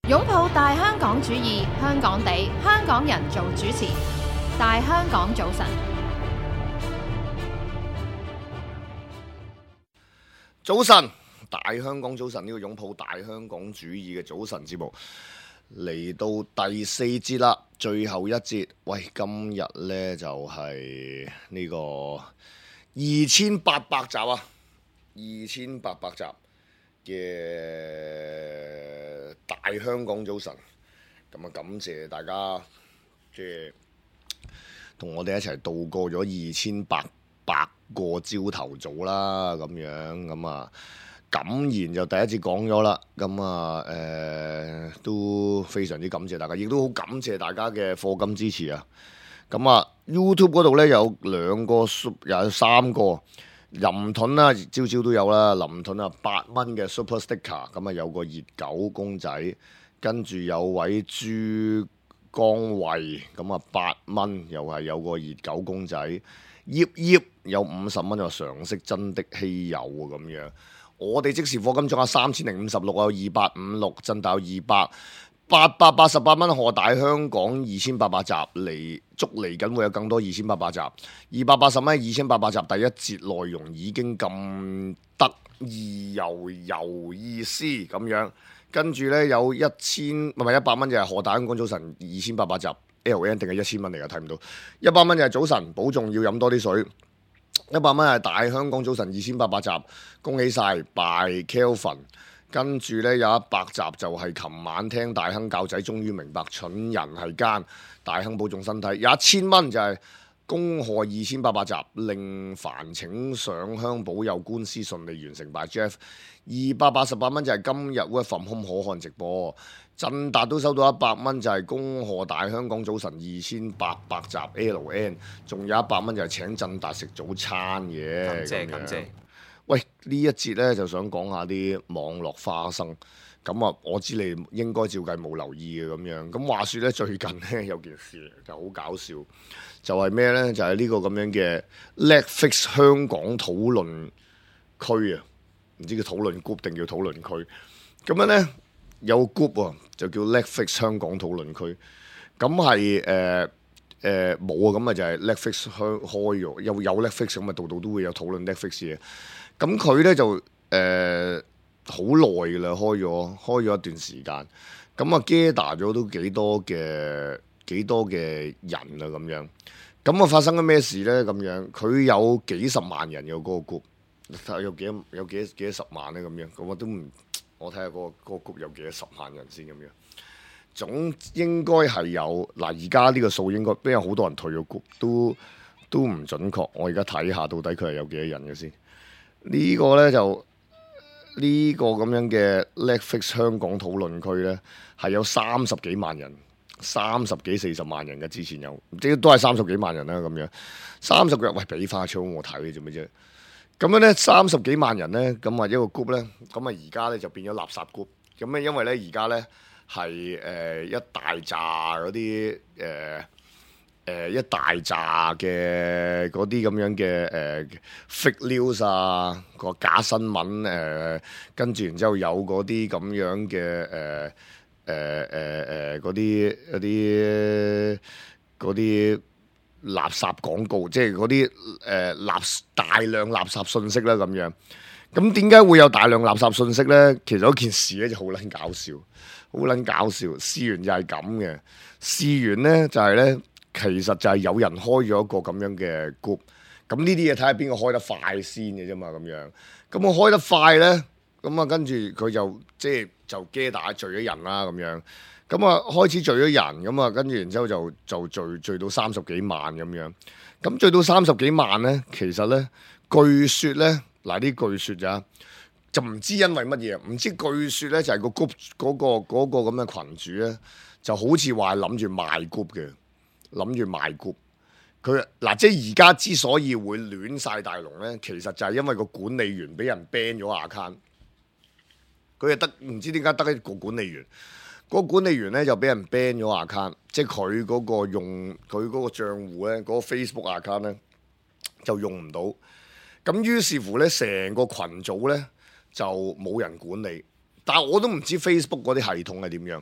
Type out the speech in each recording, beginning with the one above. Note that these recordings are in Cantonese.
擁抱大香港主義，香港地，香港人做主持。大香港早晨，早晨，大香港早晨，呢個擁抱大香港主義嘅早晨節目嚟到第四節啦，最後一節。喂，今日呢就係呢個2800集啊，2800集嘅大香港早晨。咁啊，感謝大家即係同我哋一齊度過咗2800個朝頭早啦，咁樣咁啊，感言就第一節講咗啦，咁啊都非常之感謝大家，亦都好感謝大家嘅課金支持啊。咁啊 YouTube 嗰度呢，有兩個，有三個林盾啦，朝朝都有啦，林盾啊8蚊嘅 Super Sticker， 咁啊有個熱狗公仔，跟住有位朱江慧，咁啊8蚊，又係有個熱狗公仔。葉葉有50蚊，就常識真的稀有啊，咁樣。我哋即時課金仲有3056，有2856，震大有200，888蚊賀大香港2800集嚟，祝嚟緊會有更多2800集，280蚊2800集，第一節內容已經咁得意又有意思咁樣，跟住呢，有100蚊就係賀大香港早晨2800集。LN 定係1000蚊嚟㗎，睇唔到。100蚊就係早晨，保重要飲多啲水。100蚊係大香港早晨2800集，恭喜晒 by Kelvin。跟住呢，有100集就係琴晚聽大亨教仔，終於明白蠢人係奸。大亨保重身體。有1000蚊就係恭賀2800集，令煩請上香保佑官司順利完成 by Jeff。288蚊就係今日 Work from Home可看直播。振達都收到100蚊，就係恭賀大香港早晨2800集 LN， 仲有100蚊就係請振達食早餐嘅。感謝。喂，呢一節呢，就想講下啲網絡花生。咁啊，我知你應該照計冇留意嘅咁樣。咁話說呢，最近呢，有件事就好搞笑，就係咩呢？就係呢個咁樣嘅 Netflix 香港討論區啊，唔知叫討論 group 定叫討論區。咁樣呢。有 group 喎，就叫 Netflix 香港討論區。咁係冇啊，咁啊就係 Netflix 開咗，有 Netflix 咁啊，度度都會有討論 Netflix 嘅。咁佢咧就好耐㗎啦，開咗一段時間。咁啊 gather 咗都幾多嘅人啊咁樣。咁啊發生咗咩事咧？咁樣佢有幾十萬人嘅嗰個 group， 有幾多十萬咧咁樣。咁我都唔。我睇下嗰個 group 有幾多10萬人先咁樣，總應該係有嗱。而家呢個數應該，因為好多人退咗 group，都唔準確。我而家睇下到底佢係有幾多人嘅先。呢個呢，就呢個咁樣嘅 Netflix 香港討論區呢，係有30幾萬人，30幾40萬人嘅。之前有，即都係30幾萬人啦咁樣。30個人，喂，俾花槍我睇做咩啫？咁樣咧，30幾萬人咧，咁啊一個 group 咧，咁啊而家咧就變咗垃圾 group。咁咧因為咧而家咧係一大扎嗰啲一大扎嘅嗰啲咁樣嘅fake news 啊，個假新聞跟住然之後有嗰啲咁樣嘅嗰啲垃圾廣告，即係嗰啲大量垃圾信息啦咁樣。咁點解會有大量垃圾信息呢？其實嗰件事咧就好撚搞笑，好撚搞笑。事緣就係咁嘅，事緣呢就係呢，其實就係有人開咗一個咁樣嘅 group。咁呢啲嘢睇下邊個開得快先嘅啫嘛，咁樣。咁我開得快呢，咁啊跟住佢就即係就gather聚咗人啦咁樣。咁啊，開始聚咗人，咁啊，跟住然之後就聚到30幾萬咁樣。咁聚到30幾萬咧，其實咧，據說咧，嗱啲據說咋，就唔知因為乜嘢，唔知據說咧就係個 group 嗰個咁嘅群主咧，就好似話諗住賣 group 嘅，諗住賣 group。佢嗱即係而家之所以會亂晒大龍咧，其實就係因為個管理員俾人 ban 咗 account。佢係得唔知點解得一個管理員。嗰個管理員咧就俾人 ban 咗 account， 即係佢嗰個用佢嗰個賬戶咧，嗰個 Facebook account 咧就用唔到。咁於是乎咧，成個群組咧就冇人管理，但係我都唔知 Facebook 嗰啲系統係點樣，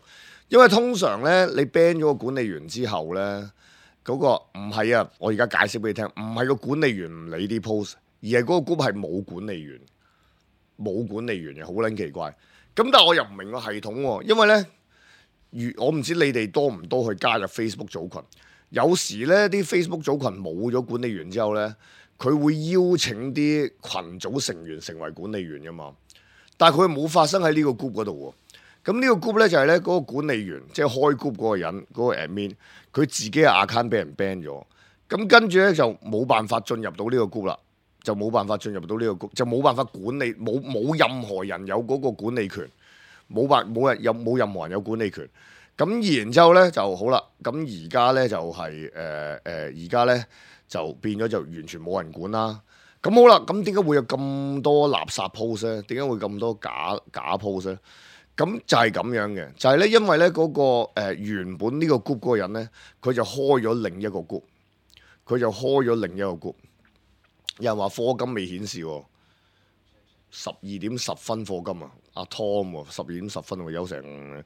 因為通常咧你 ban 咗個管理員之後咧，嗰個唔係啊，我而家解釋俾你聽，唔係個管理員唔理啲 post，而係嗰個 group 係冇管理員，冇管理員嘅，好撚奇怪。咁但係我又唔明個系統喎，因為咧，我唔知你哋多唔多去加入 Facebook 組群。有時咧啲 Facebook 組群冇咗管理員之後咧，佢會邀請啲群組成員成為管理員噶嘛。但係佢冇發生喺呢個 group 嗰度喎。咁呢個 group 咧就係咧嗰個管理員，即係開 group 嗰個人，嗰個 admin，佢自己嘅 account 俾人 ban 咗。咁跟住咧就冇辦法進入到呢個 group 啦，就冇辦法進入到呢個 group，就冇辦法管理，冇任何人有嗰個管理權，冇任何人有管理權。咁然之後咧就好啦，咁而家咧就係而家咧就變咗就完全冇人管啦。咁好啦，咁點解會有咁多垃圾 post 咧？點解會咁多假 post 咧？咁就係咁樣嘅，就係咧因為咧嗰個原本呢個 group 嗰個人咧，佢就開咗另一個 group，佢就開咗另一個 group。有人話課金未顯示喎，12:10課金啊，阿 Tom 喎，12:10喎，有成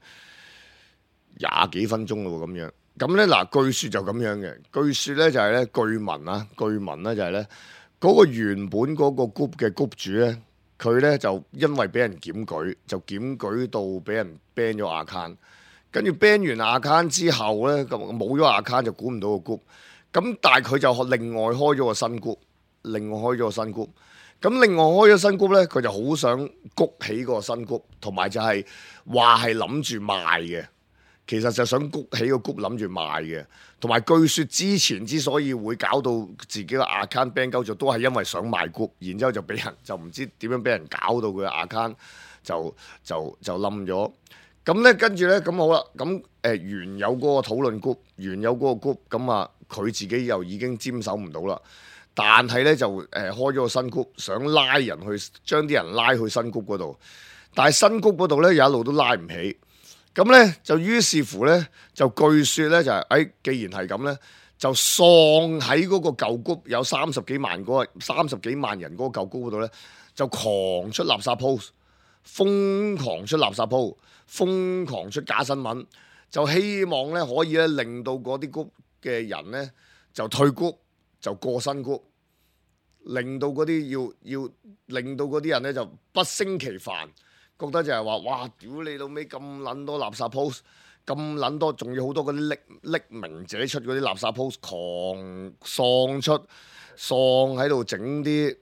20幾分鐘咯喎，咁樣。咁咧嗱，據說就咁樣嘅，據說咧就係咧據聞咧就係咧嗰個原本嗰個 group 嘅 group 主咧，佢咧就因為俾人檢舉，就檢舉到俾人 ban 咗 account， 跟住 ban 完 account 之後咧，咁冇咗 account 就管唔到個 group， 咁但係佢就另外開咗個新 group， 咁另外開咗新 group 咧，佢就好想谷起個新 group， 同埋就係話係諗住賣嘅。其實就想谷起個 group 諗住賣嘅，同埋據說之前之所以會搞到自己個 account ban 鳩咗，都係因為想賣 group，然之後就俾人就唔知點樣俾人搞到佢個 account 就冧咗。咁咧跟住咧咁好啦，咁原有嗰個討論 group， 原有嗰個 group， 咁啊佢自己又已經沾手唔到啦。但係咧就開咗個新 group，想拉人去將啲人拉去新 group 嗰度，但係新 group 嗰度咧有一路都拉唔起。咁咧就於是乎咧就據說咧就係、既然係咁咧，就喪喺嗰個舊 group有30幾萬人嗰個舊 group 嗰度咧，就狂出垃圾 post， 瘋狂出垃圾 post， 瘋狂出假新聞，就希望咧可以咧令到嗰啲 group 嘅人咧就退 group，就過新 group，令到嗰啲要令到嗰啲人咧就不勝其煩。覺得就係話，哇！屌你老味咁撚多垃圾 post， 咁撚多，仲要好多嗰啲匿名者出嗰啲垃圾 post， 狂喪喺度整啲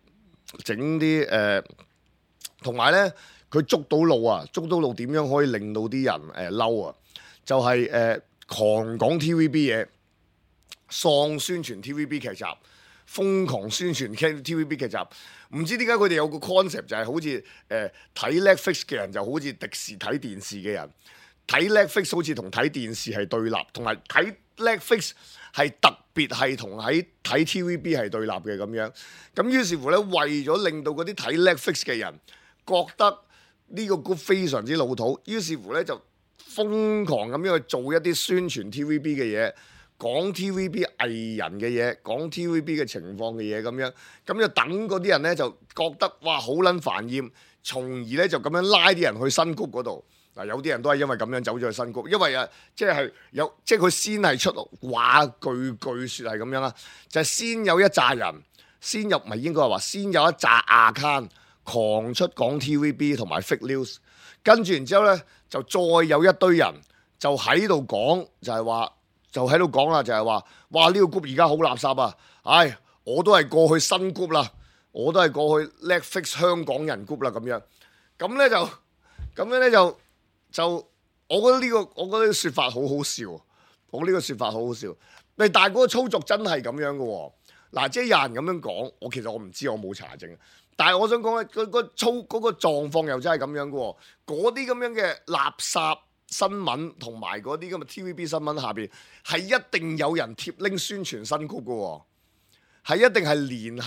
同埋咧佢捉到路點樣可以令到啲人嬲啊？就係狂講 TVB 嘢，喪宣傳 TVB 劇集。瘋狂宣傳 TVB 劇集，唔知點解佢哋有個 concept 就係好似睇 Netflix 嘅人就好似迪士睇電視嘅人，睇 Netflix 好似同睇電視係對立，同埋睇 Netflix 係特別係同喺睇 TVB 係對立嘅咁樣。咁於是乎咧，為咗令到嗰啲睇 Netflix 嘅人覺得呢個 group 非常之老土，於是乎咧就瘋狂咁樣去做一啲宣傳 TVB 嘅嘢。講 TVB 藝人嘅嘢，講 TVB 嘅情況嘅嘢咁樣，咁就等嗰啲人咧就覺得哇好撚煩厭，從而咧就咁樣拉啲人去新 group 嗰度。嗱，有啲人都係因為咁樣走咗去新 group，因為即係佢先係出話句説係咁樣啦，就係先有一紮人，先有一紮 account 狂出講 TVB 同埋 fake news， 跟住然之後咧就再有一堆人就喺度講，就喺度講啦，就係話，哇呢個 group 而家好垃圾啊！唉，我都係過去新 group 啦，我都係過去 Netflix 香港人 group 啦咁樣。咁咧就，我覺得呢個説法好好笑。但係嗰個操作真係咁樣嘅喎。嗱，即係有人咁樣講，其實我唔知，我冇查證。但係我想講咧，嗰個狀況又真係咁樣嘅喎。嗰啲咁樣嘅垃圾新聞同埋嗰啲咁嘅 TVB 新聞下邊係一定有人貼 link 宣傳新 group 嘅喎，係一定係聯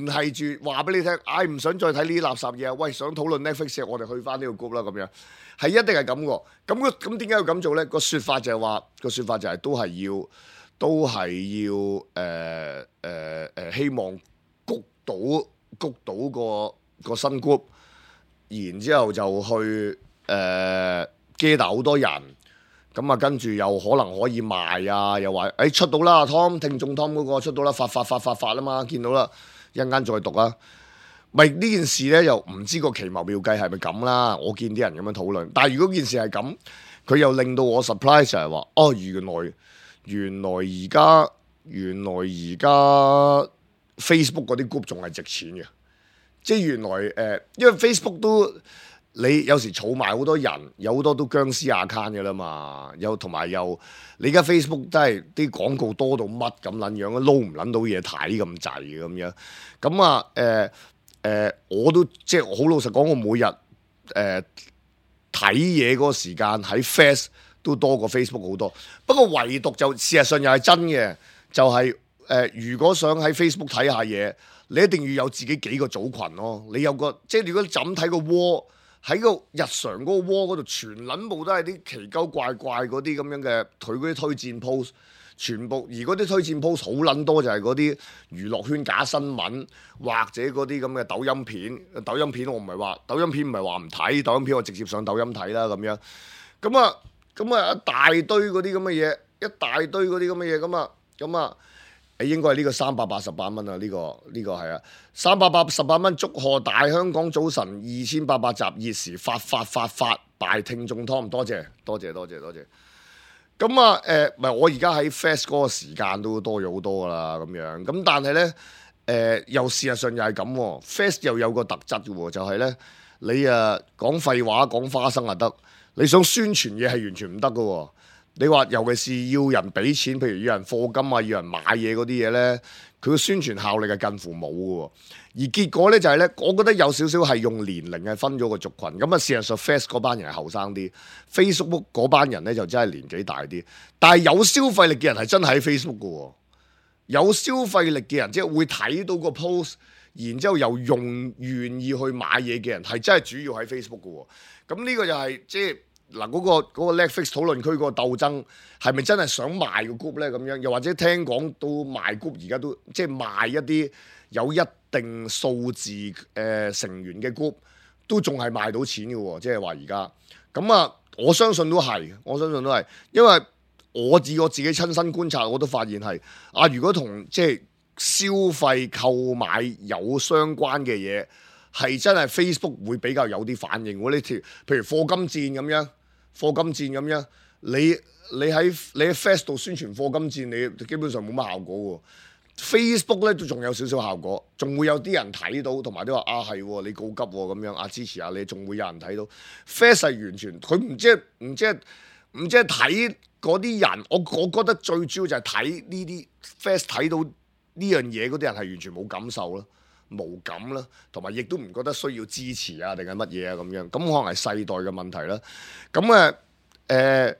繫住話俾你聽，唔想再睇呢啲垃圾嘢啊！喂，想討論 Netflix， 我哋去翻呢個 group 啦咁樣，係一定係咁嘅。咁點解要咁做咧？個説法就係都係要希望谷到個新 group。然之後就去gather 好多人，咁啊跟住又可能可以賣啊，又話出到啦，Tom 聽眾 Tom 嗰個出到啦，發啦嘛，見到啦，一陣間再讀啊。咪呢件事咧又唔知個奇謀妙計係咪咁啦，我見啲人咁樣討論，但係如果件事係咁，佢又令到我 surprise 就係話，哦原來而家 Facebook 嗰啲 group 仲係值錢嘅，即係原來因為 Facebook 都你有時儲埋好多人，有好多都僵屍 account 嘅啦嘛，同埋你而家 Facebook 真係啲廣告多到乜咁撚樣，撈唔撚到嘢睇咁滯嘅咁樣，咁啊我都即係好老實講，我每日睇嘢嗰個時間喺 Face 都多過 Facebook 好多。不過唯獨就事實上又係真嘅，就係、如果想喺 Facebook 睇下嘢，你一定要有自己幾個組群咯。你有個即係如果你就咁睇個窩，喺個日常嗰個窩嗰度，全撚部都係啲奇鳩怪怪嗰啲咁樣嘅，佢嗰啲推薦 post。全部而嗰啲推薦 post 好撚多，就係嗰啲娛樂圈假新聞，或者嗰啲咁嘅抖音片。抖音片我唔係話抖音片唔係話唔睇，抖音片我直接上抖音睇啦咁樣。咁啊一大堆嗰啲咁嘅嘢，一大堆嗰啲咁嘅嘢咁啊，應該係呢個388蚊啊！呢個係啊，388蚊，祝賀大香港早晨2800集熱時發大聽眾 Tom， 多謝。咁啊，唔係我而家喺 Fast 嗰個時間都多咗好多噶啦，咁樣。咁但係咧，又事實上又係咁喎。Fast 又有個特質嘅喎，就係咧，你講廢話講花生就得，你想宣傳嘢係完全唔得嘅喎。你話尤其是要人俾錢，譬如要人課金啊，要人買嘢嗰啲嘢咧，佢個宣傳效力係近乎冇嘅喎。而結果咧就係咧，我覺得有少少係用年齡係分咗個族群。咁啊，事實上 Face 嗰班人係後生啲 ，Facebook 嗰班人咧就真係年紀大啲。但係有消費力嘅人係真係喺 Facebook 嘅喎，有消費力嘅人即係會睇到個 post，然之後又願意去買嘢嘅人係真係主要喺 Facebook 嘅喎。咁呢個就係即係。嗱，嗰個 Netflix 討論區嗰個鬥爭係咪真係想賣個 group 咧？咁樣又或者聽講到賣 group，而家都即係賣一啲有一定數字成員嘅 group，都仲係賣到錢嘅喎。即係話而家咁啊，我相信都係，因為我自己親身觀察，我都發現係啊，如果同即係消費購買有相關嘅嘢，係真係 Facebook 會比較有啲反應。呢條譬如課金戰咁樣。你喺 Fast 度宣傳課金戰，你基本上冇乜效果喎。Facebook 咧都仲有少少效果，仲會有啲人睇到，同埋都話係你告急咁樣支持下你，仲會有人睇到。Fast 係完全佢唔知係睇嗰啲人，我覺得最主要就係睇呢啲 Fast 睇到呢樣嘢嗰啲人係完全冇感受啦。無感啦，同埋亦都唔覺得需要支持啊，定係乜嘢啊咁樣，咁可能係世代嘅問題啦。咁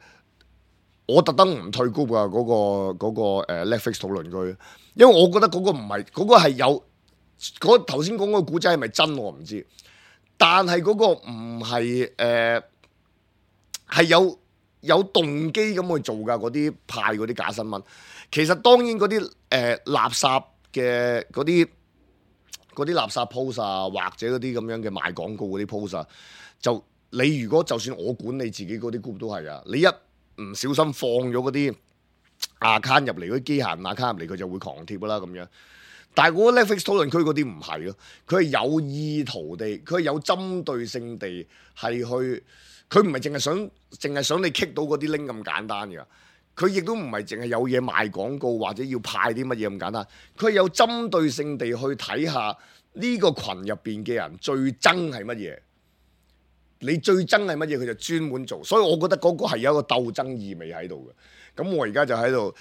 我特登唔退 group 啊，嗰個Netflix 討論區，因為我覺得嗰個唔係嗰個係有頭先講個古仔係咪真我唔知，但係嗰個唔係係有動機咁去做㗎，嗰啲派嗰啲假新聞。其實當然嗰啲垃圾嘅嗰啲垃圾 post 啊，或者嗰啲咁樣嘅賣廣告嗰啲 post 啊，就你如果就算我管理自己嗰啲 group 都係啊，你一唔小心放咗嗰啲 account 入嚟，嗰啲機械人 account 入嚟，佢就會狂貼㗎啦咁樣。但係嗰個 Netflix 討論區嗰啲唔係咯，佢係有意圖地，佢係有針對性地係去，佢唔係淨係想你 kick 到嗰啲 link 咁簡單㗎。佢亦都唔係淨係有嘢賣廣告或者要派啲乜嘢咁簡單，佢係有針對性地去睇下呢個群入邊嘅人最憎係乜嘢，你最憎係乜嘢，佢就專門做，所以我覺得嗰個係有一個鬥爭意味喺度嘅。咁我而家就喺度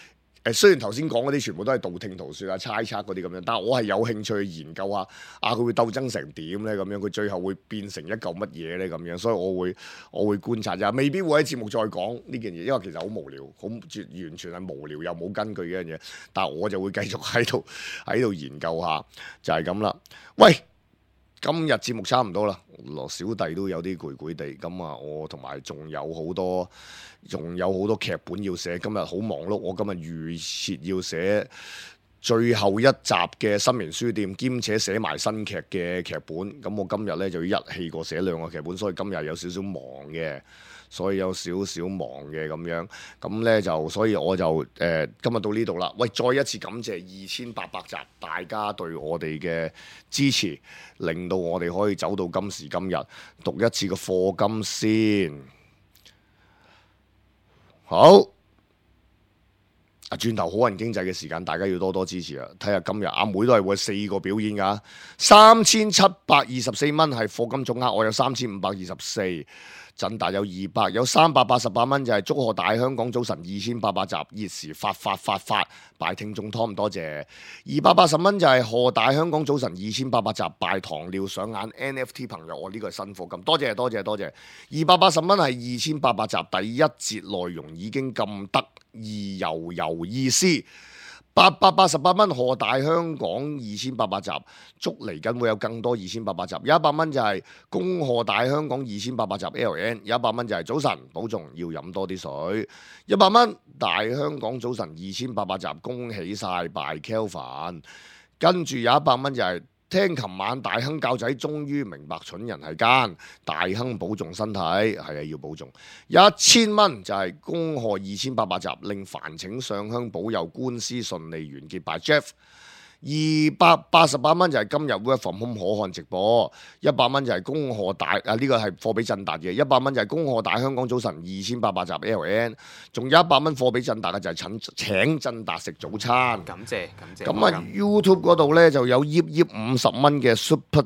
雖然頭先講嗰啲全部都係道聽途說啊、猜測嗰啲咁樣，但係我係有興趣去研究下佢會鬥爭成點咧？咁樣佢最後會變成一嚿乜嘢咧？咁樣，所以我會觀察啫，未必會喺節目再講呢件嘢，因為其實好無聊，完全係無聊又冇根據嘅一樣嘢。但係我就會繼續喺度研究下，就係咁啦。喂，今日節目差唔多啦，羅小弟都有啲攰攰地，咁啊，我同埋仲有好多劇本要寫，今日好忙碌，我今日預設要寫最後一集嘅新明書店，兼且寫埋新劇嘅劇本。咁我今日呢就要一氣過寫2個劇本，所以今日有少少忙嘅。所以有少少忙嘅咁樣，咁呢就所以我就今日到呢度啦。喂，再一次感謝2800集大家對我哋嘅支持，令到我哋可以走到今時今日。讀一次個課金先，好。轉頭好人經濟嘅時間，大家要多多支持啊！睇下今日阿妹都係會4個表演㗎，3724蚊係課金總額，我有3524。振達有200，有388蚊就係祝賀大香港早晨2800集熱時發，拜聽眾湯唔多謝。280蚊就係賀大香港早晨2800集拜糖尿上眼 NFT 朋友，我呢個係新課金，多謝。280蚊係2800集第一節內容已經咁得意又有意思。888蚊賀大香港2800集，祝嚟緊會有更多2800集。有100蚊就係恭賀大香港2800集 LN， 有100蚊就係早晨保重要飲多啲水。100蚊大香港早晨2800集，恭喜晒拜 Kelvin。跟住有100蚊就係聽琴晚大亨教仔終於明白蠢人係奸，大亨保重身體，係啊要保重。1000蚊就係恭賀2800集，令煩請上香保佑官司順利完結拜 Jeff。288蚊就係今日 Work From Home 可看直播。100蚊就係恭賀大呢個係貨俾振達嘅。100蚊就係恭賀大香港早晨2800集 LN。仲有100蚊貨俾振達嘅就係請振達食早餐。感謝。咁啊 YouTube 嗰度呢就有50蚊嘅 Super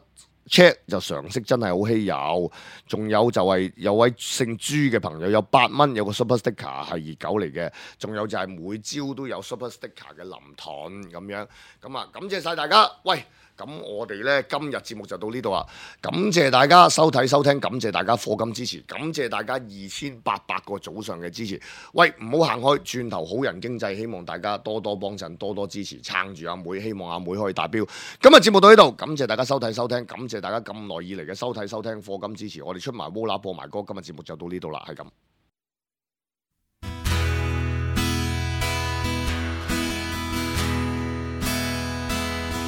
Chat， 就常識真係好稀有。仲有就係有位姓朱嘅朋友有8蚊，有個 Super Sticker 係熱狗嚟嘅。仲有就係每朝都有 Super Sticker 嘅林盾咁樣。咁啊，感謝晒大家。喂，咁我哋呢今日節目就到呢度啦。感謝大家收睇收聽，感謝大家課金支持，感謝大家2800個早上嘅支持。喂，唔好行開，轉頭好人經濟，希望大家多多幫襯，多多支持，撐住阿妹，希望阿妹可以達標。今日節目到呢度，感謝大家收睇收聽，感謝大家咁耐以嚟嘅收睇收聽課金支持。我哋出埋窩啦播埋歌，今日節目就到呢度啦，係咁。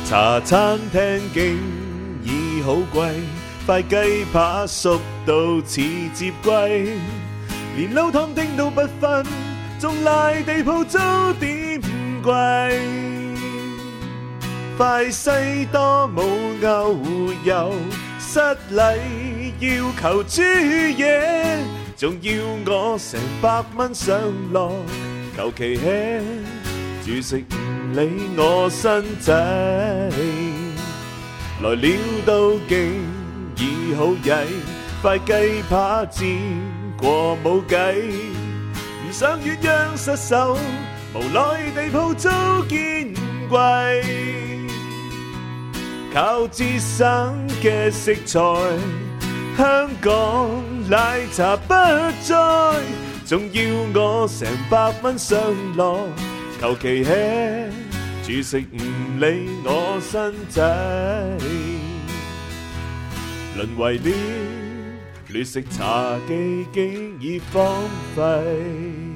茶餐廳竟已好貴，塊雞扒熟到似接龜，連撈湯丁都不分，仲賴地鋪租點貴。塊西多冇牛油，失禮要求豬嘢，仲要我成100蚊上落，求其吃住食唔理我身仔，來了都竟已好曳，塊雞扒煎過冇計，唔想鴛鴦失手，無奈地鋪租見貴，靠節省嘅食材，香港奶茶不再，仲要我成100蚊上落，求其吃住食唔理我身仔，淪為了劣食茶記竟已荒廢。